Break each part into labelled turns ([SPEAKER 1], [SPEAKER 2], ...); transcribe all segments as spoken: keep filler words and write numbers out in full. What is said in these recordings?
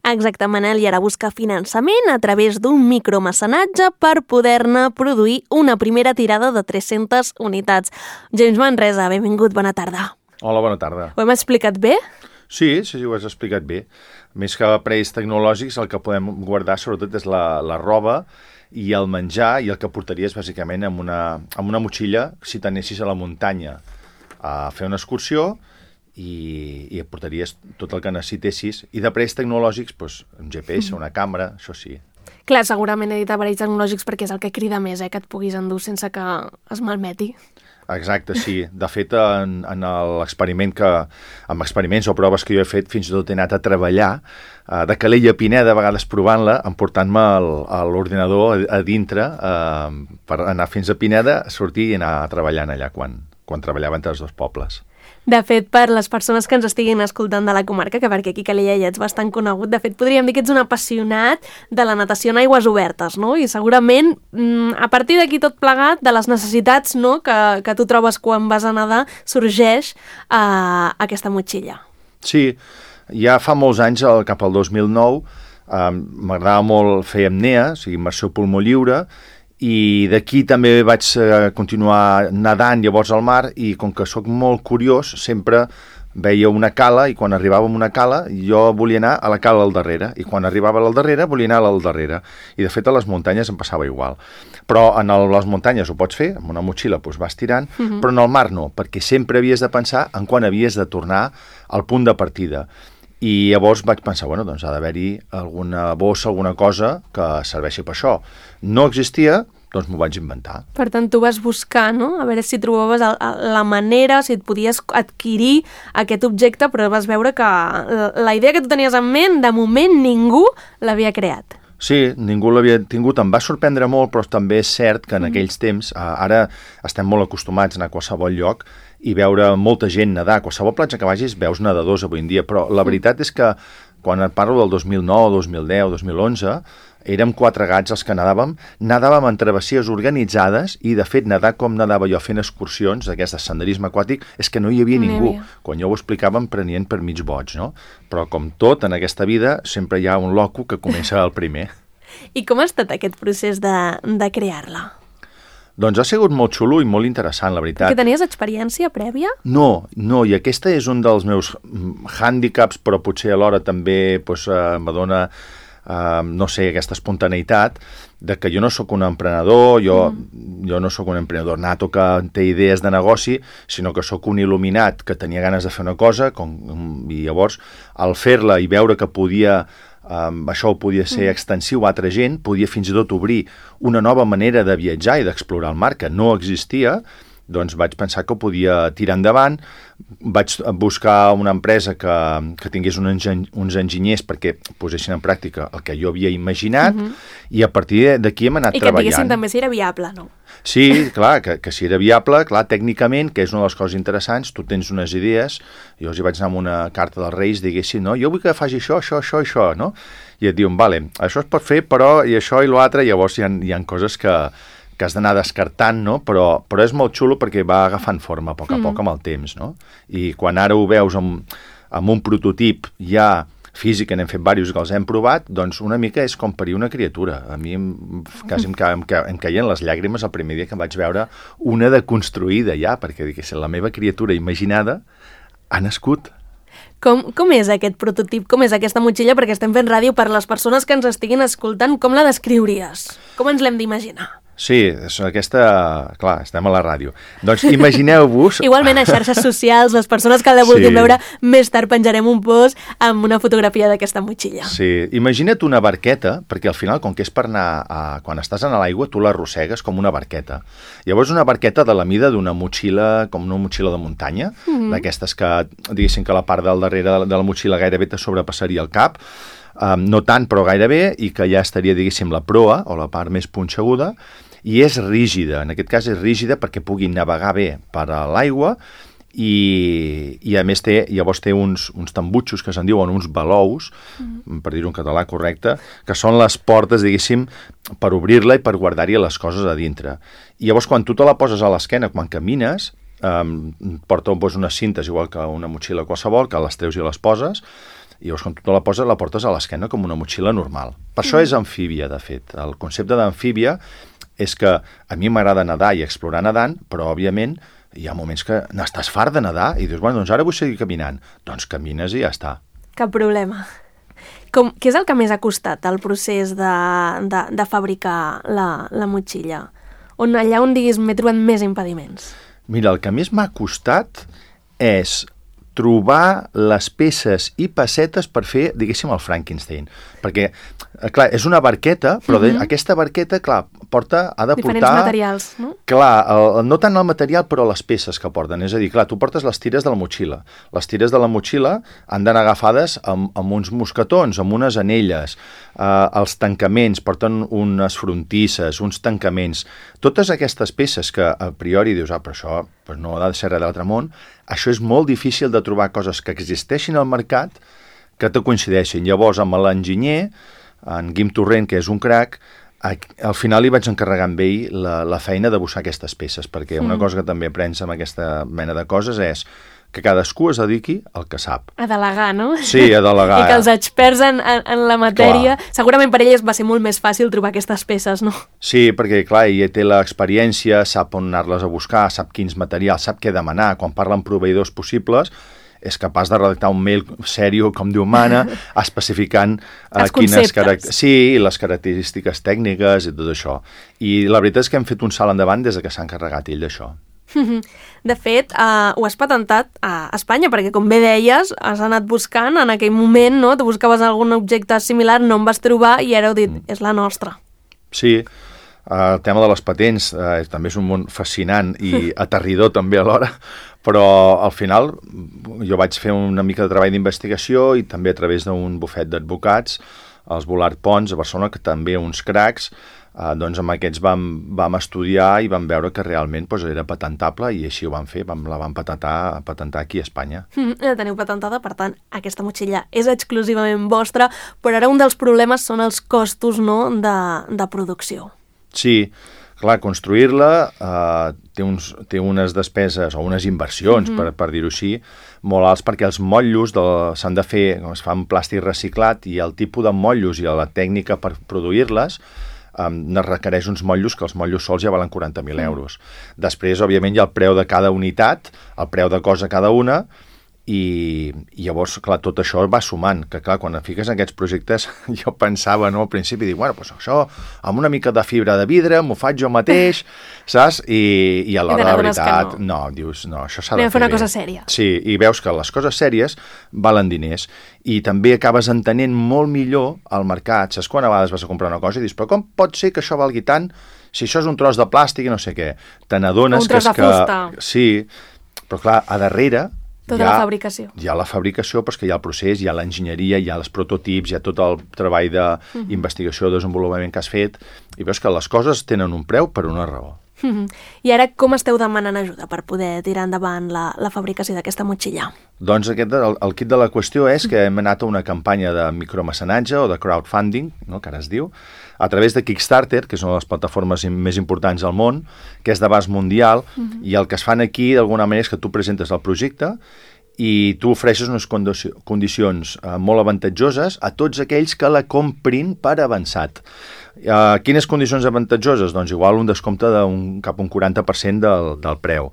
[SPEAKER 1] Exacte, Manel, i ara busca finançament a través d'un micromecenatge per poder-ne produir una primera tirada de tres-centes unitats. James Manresa, benvingut, bona tarda.
[SPEAKER 2] Hola, bona tarda.
[SPEAKER 1] Ho hem explicat bé?
[SPEAKER 2] Sí, sí, ho has explicat bé. Més que aparells tecnològics, el que podem guardar sobretot és la, la roba i el menjar, i el que portaries bàsicament amb una, amb una motxilla si t'anessis a la muntanya a fer una excursió i, i et portaries tot el que necessitessis. I d'aparells tecnològics, doncs, un G P S, una càmera, això sí.
[SPEAKER 1] Clar, segurament he dit aparells tecnològics perquè és el que crida més, eh, que et puguis endur sense que es malmeti.
[SPEAKER 2] Exacte, sí. De fet, en, en l'experiment que, amb experiments o proves que jo he fet, fins i tot he anat a treballar eh, de Calella a Pineda, a vegades provant-la, emportant-me l'ordinador a, a dintre eh, per anar fins a Pineda, sortir i anar treballant allà quan, quan treballava entre els dos pobles.
[SPEAKER 1] De fet, per les persones que ens estiguin escoltant de la comarca, que perquè aquí a Calella ja ets bastant conegut, de fet, podríem dir que ets un apassionat de la natació en aigües obertes, no? I segurament, a partir d'aquí tot plegat, de les necessitats, no?, que, que tu trobes quan vas a nedar, sorgeix uh, aquesta motxilla.
[SPEAKER 2] Sí, ja fa molts anys, cap al dos mil nou, uh, m'agradava molt fer apnea, o sigui, immersió pulmó lliure, i d'aquí també vaig eh, continuar nedant llavors al mar, i com que sóc molt curiós, sempre veia una cala, i quan arribava a una cala jo volia anar a la cala al darrere, i quan arribava al darrere volia anar al darrere, i de fet a les muntanyes em passava igual. Però en el, les muntanyes ho pots fer, amb una motxilla doncs vas tirant, uh-huh. Però en el mar no, perquè sempre havies de pensar en quan havies de tornar al punt de partida. I llavors vaig pensar, bueno, doncs ha d'haver-hi alguna bossa, alguna cosa que serveixi per això. No existia, doncs m'ho vaig inventar.
[SPEAKER 1] Per tant, tu vas buscar, no?, a veure si trobaves la manera, si et podies adquirir aquest objecte, però vas veure que la idea que tu tenies en ment, de moment ningú l'havia creat.
[SPEAKER 2] Sí, ningú l'havia tingut, em va sorprendre molt, però també és cert que en mm. aquells temps, ara estem molt acostumats a anar a qualsevol lloc i veure molta gent nedar. A qualsevol platja que vagis veus nedadors avui en dia, però la veritat és que quan et parlo del dos mil nou, dos mil deu, dos mil onze, érem quatre gats els que nedàvem, nedàvem en travessies organitzades i, de fet, nedar com nedava jo fent excursions d'aquest senderisme aquàtic és que no hi havia ningú. Quan jo ho explicava em prenien per mig boig, no? Però, com tot en aquesta vida, sempre hi ha un loco que comença el primer.
[SPEAKER 1] I com ha estat aquest procés de, de crear-la?
[SPEAKER 2] Doncs ha sigut molt xulo i molt interessant, la veritat.
[SPEAKER 1] Perquè tenies experiència prèvia?
[SPEAKER 2] No, no, i aquesta és un dels meus hàndicaps, però potser alhora també doncs, eh, m'adona, eh, no sé, aquesta espontaneïtat de que jo no sóc un emprenedor, jo, mm. jo no sóc un emprenedor nato que té idees de negoci, sinó que sóc un il·luminat que tenia ganes de fer una cosa, com, i llavors, al fer-la i veure que podia... Um, això podia ser extensiu a altra gent, podia fins i tot obrir una nova manera de viatjar i d'explorar el mar que no existia, doncs vaig pensar que ho podia tirar endavant. Vaig buscar una empresa que, que tingués un enginy, uns enginyers perquè posessin en pràctica el que jo havia imaginat, uh-huh. I a partir d'aquí hem anat
[SPEAKER 1] I
[SPEAKER 2] treballant.
[SPEAKER 1] I que diguessin també si era viable, no?
[SPEAKER 2] Sí, clar, que, que si era viable, clar, tècnicament, que és una de les coses interessants, tu tens unes idees, jo els hi vaig anar amb una carta dels Reis, diguessin, no, jo vull que faci això, això, això, això, no? I et diuen, vale, això es pot fer, però i això i l'altre, llavors hi ha, hi ha coses que, que has d'anar descartant, no? Però, però és molt xulo perquè va agafant forma a poc a poc amb el temps, no? I quan ara ho veus amb, amb un prototip ja físic, n'hem fet diversos que els hem provat, doncs una mica és com parir una criatura. A mi em, quasi em, em, em caien les llàgrimes el primer dia que vaig veure una de construïda ja, perquè diguéssim, la meva criatura imaginada ha nascut.
[SPEAKER 1] Com, com és aquest prototip? Com és aquesta motxilla? Perquè estem fent ràdio per les persones que ens estiguin escoltant. Com la descriuries? Com ens l'hem d'imaginar?
[SPEAKER 2] Sí, és aquesta... Clar, estem a la ràdio. Doncs imagineu-vos...
[SPEAKER 1] Igualment a xarxes socials, les persones que la vulguin sí. veure, més tard penjarem un post amb una fotografia d'aquesta motxilla.
[SPEAKER 2] Sí, imagina't una barqueta, perquè al final, com que és per anar... A... Quan estàs a l'aigua, tu l'arrossegues com una barqueta. Llavors una barqueta de la mida d'una motxilla, com una motxilla de muntanya, mm-hmm. d'aquestes que, diguéssim que la part del darrere de la motxilla gairebé te sobrepassaria el cap, um, no tant, però gairebé, i que ja estaria, diguéssim, la proa, o la part més punxeguda, i és rígida, en aquest cas és rígida perquè pugui navegar bé per a l'aigua i, i a més té, llavors té uns, uns tambutxos que se'n diuen uns balous, mm. per dir-ho en català correcte, que són les portes, diguéssim, per obrir-la i per guardar-hi les coses a dintre. I llavors quan tu te la poses a l'esquena, quan camines, um, porta doncs, unes cintes igual que una motxilla qualsevol, que les treus i les poses, i llavors quan tu te la poses, la portes a l'esquena com una motxilla normal. Per això és amfíbia, de fet. El concepte d'amfíbia és que a mi m'agrada nedar i explorar nedant, però, òbviament, hi ha moments que n'estàs fart de nedar i dius, bueno, doncs ara vull seguir caminant. Doncs camines i ja està.
[SPEAKER 1] Cap problema. Com, què és el que més ha costat el procés de, de, de fabricar la, la motxilla? On, allà on diguis m'he trobat més impediments?
[SPEAKER 2] Mira, el que més m'ha costat és trobar les peces i pessetes per fer, diguéssim, el Frankenstein. Perquè, clar, és una barqueta, però de, mm-hmm. aquesta barqueta, clar, porta, ha de
[SPEAKER 1] diferents
[SPEAKER 2] portar...
[SPEAKER 1] materials, no?
[SPEAKER 2] Clar, el, no tant el material, però les peces que porten. És a dir, clar, tu portes les tires de la motxilla. Les tires de la motxilla han d'anar agafades amb, amb uns mosquetons, amb unes anelles. Uh, els tancaments, porten unes frontisses, uns tancaments. Totes aquestes peces que a priori dius, ah, però això pues no ha de ser res de l'altre món, això és molt difícil de trobar coses que existeixin al mercat que te coincideixin. Llavors, amb l'enginyer, en Guim Torrent, que és un crac, al final li vaig encarregar amb ell la, la feina de buscar aquestes peces, perquè una mm. cosa que també aprens amb aquesta mena de coses és que cadascú es dediqui al que sap.
[SPEAKER 1] A delegar, no?
[SPEAKER 2] Sí, a delegar.
[SPEAKER 1] I que els experts en, en, en la matèria... Clar. Segurament per elles va ser molt més fàcil trobar aquestes peces, no?
[SPEAKER 2] Sí, perquè, clar, ella té l'experiència, sap on anar-les a buscar, sap quins materials, sap què demanar. Quan parla amb proveïdors possibles, és capaç de redactar un mail sèrio, com Déu mana, especificant uh, quines caracter... sí, les característiques tècniques i tot això. I la veritat és que hem fet un salt endavant des que s'ha encarregat ell d'això.
[SPEAKER 1] De fet, uh, ho has patentat a Espanya, perquè com bé deies, has anat buscant en aquell moment, no? Tu buscaves algun objecte similar, no en vas trobar i ara heu dit, mm. és la nostra.
[SPEAKER 2] Sí, uh, el tema de les patents uh, també és un món fascinant i aterridor també alhora, però al final jo vaig fer una mica de treball d'investigació i també a través d'un bufet d'advocats, els Volart Pons a Barcelona, que també uns cracs. Uh, doncs amb aquests vam, vam estudiar i vam veure que realment pues, era patentable i així ho vam fer, vam, la vam patentar, patentar aquí a Espanya.
[SPEAKER 1] Mm, la teniu patentada, per tant, aquesta motxilla és exclusivament vostra, però ara un dels problemes són els costos, no?, de, de producció.
[SPEAKER 2] Sí, clar, construir-la uh, té, uns, té unes despeses o unes inversions, mm-hmm. per, per dir-ho així, molt alts, perquè els motllos de, s'han de fer, es fa amb plàstic reciclat i el tipus de motllos i la tècnica per produir-les Um, ne requereix uns motllos que els motllos sols ja valen quaranta mil euros. Després, òbviament, hi ha el preu de cada unitat, el preu de cosa cada una, i, i llavors, clar, tot això va sumant, que clar, quan et fiques en aquests projectes, jo pensava, no, al principi, dic, bueno, doncs això, amb una mica de fibra de vidre, m'ho faig jo mateix, saps? I, i a l'hora de la veritat, no. no, dius, no, això s'ha de fer, fer
[SPEAKER 1] una
[SPEAKER 2] bé.
[SPEAKER 1] cosa sèria.
[SPEAKER 2] Sí, i veus que les coses sèries valen diners, i també acabes entenent molt millor el mercat. Saps quan a vegades vas a comprar una cosa i dius, però com pot ser que això valgui tant si això és un tros de plàstic i no sé què? Te n'adones que és que... Un tros de fusta. Sí, però clar, a darrere
[SPEAKER 1] tota
[SPEAKER 2] ha,
[SPEAKER 1] la fabricació.
[SPEAKER 2] Hi ha la fabricació, però és que hi ha el procés, hi ha l'enginyeria, hi ha els prototips, hi ha tot el treball d'investigació, uh-huh. desenvolupament que has fet, i veus que les coses tenen un preu per una raó.
[SPEAKER 1] Uh-huh. I ara com esteu demanant ajuda per poder tirar endavant la, la fabricació d'aquesta motxilla?
[SPEAKER 2] Doncs aquest, el, el kit de la qüestió és que hem anat a una campanya de micromecenatge o de crowdfunding, no, que ara es diu, a través de Kickstarter, que és una de les plataformes més importants del món, que és d'abast mundial, uh-huh. i el que es fan aquí, d'alguna manera, és que tu presentes el projecte i tu ofereixes unes condicions eh, molt avantatjoses a tots aquells que la comprin per avançat. Eh, quines condicions avantatjoses? Doncs igual un descompte d'un cap un quaranta per cent del, del preu.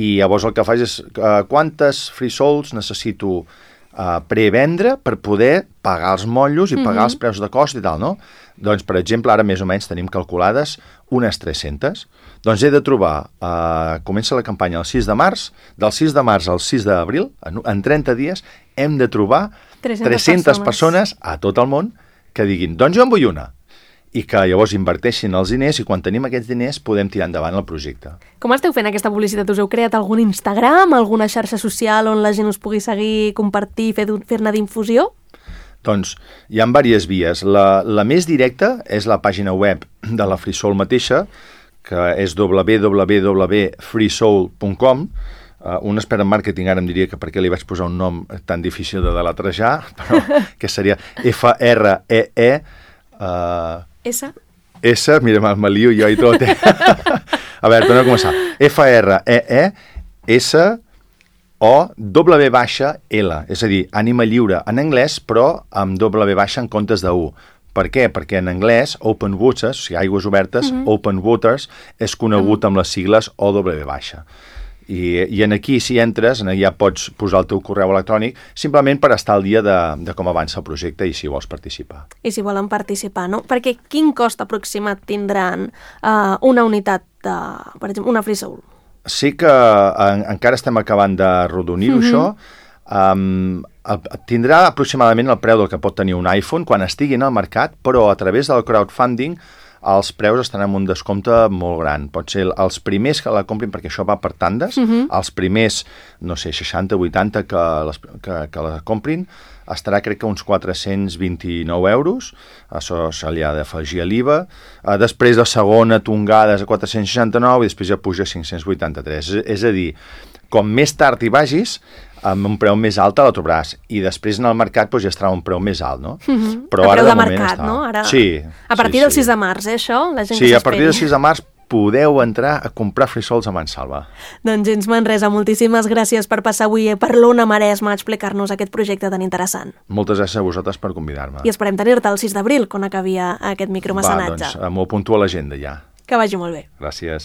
[SPEAKER 2] I llavors el que fas és eh, quantes free souls necessito eh, prevendre per poder pagar els motllos i pagar mm-hmm. els preus de cost i tal, no? Doncs, per exemple, ara més o menys tenim calculades unes tres-centes. Doncs he de trobar, eh, comença la campanya el sis de març, del sis de març al sis d'abril, en, en trenta dies, hem de trobar tres-centes persones a tot el món que diguin, doncs jo en vull una. I que llavors inverteixin els diners i quan tenim aquests diners podem tirar endavant el projecte.
[SPEAKER 1] Com esteu fent aquesta publicitat? Us heu creat algun Instagram, alguna xarxa social on la gent us pugui seguir, compartir, fer, fer-ne d'infusió?
[SPEAKER 2] Doncs hi ha diverses vies. La, la més directa és la pàgina web de la FreeSoul mateixa, que és w w w punt free soul punt com. Uh, un expert en màrqueting ara em diria que per què li vaig posar un nom tan difícil de deletrejar, però que seria F R E E uh,
[SPEAKER 1] S?
[SPEAKER 2] S, mira, me lio jo i tot. Eh? A veure, tornem a començar. F R E E S o W baixa L, és a dir, ànima lliure en anglès, però amb W baixa en comptes de U. Per què? Perquè en anglès, open waters, o sigui, aigües obertes, mm -hmm. open waters, és conegut amb les sigles O W baixa. I, i en aquí, si entres, en ja pots posar el teu correu electrònic simplement per estar al dia de, de com avança el projecte i si vols participar.
[SPEAKER 1] I si volen participar, no? Perquè quin cost aproximat tindran uh, una unitat, de, per exemple, una FreeSoul?
[SPEAKER 2] Sí que en, encara estem acabant de rodonir-ho, mm-hmm. això. Um, el, tindrà aproximadament el preu del que pot tenir un iPhone quan estigui en el mercat, però a través del crowdfunding els preus estan amb un descompte molt gran. Pot ser els primers que la comprin, perquè això va per tandes, uh-huh. els primers, no sé, seixanta, vuitanta que, les, que, que la comprin, estarà crec que uns quatre-cents vint-i-nou euros, això se li ha d'afegir a l'I V A, uh, després la segona tongada és a quatre-cents seixanta-nou i després ja puja a cinc-cents vuitanta-tres. És, és a dir, com més tard hi vagis, amb un preu més alt la trobaràs, i després en el mercat doncs, ja estarà un preu més alt, no?
[SPEAKER 1] Uh-huh. Però el ara preu de, de mercat, està... no? Ara...
[SPEAKER 2] Sí.
[SPEAKER 1] A partir
[SPEAKER 2] sí,
[SPEAKER 1] del
[SPEAKER 2] sí.
[SPEAKER 1] sis de març, eh, això? La gent
[SPEAKER 2] sí,
[SPEAKER 1] que
[SPEAKER 2] a partir del sis de març podeu entrar a comprar FreeSouls a Mansalva.
[SPEAKER 1] Doncs gens Manresa, moltíssimes gràcies per passar avui per l'Ona Maresma a explicar-nos aquest projecte tan interessant.
[SPEAKER 2] Moltes gràcies a vosaltres per convidar-me.
[SPEAKER 1] I esperem tenir-te el sis d'abril, quan acabi aquest micromecenatge.
[SPEAKER 2] Va, doncs m'ho apunto a l'agenda ja.
[SPEAKER 1] Que vagi molt bé.
[SPEAKER 2] Gràcies.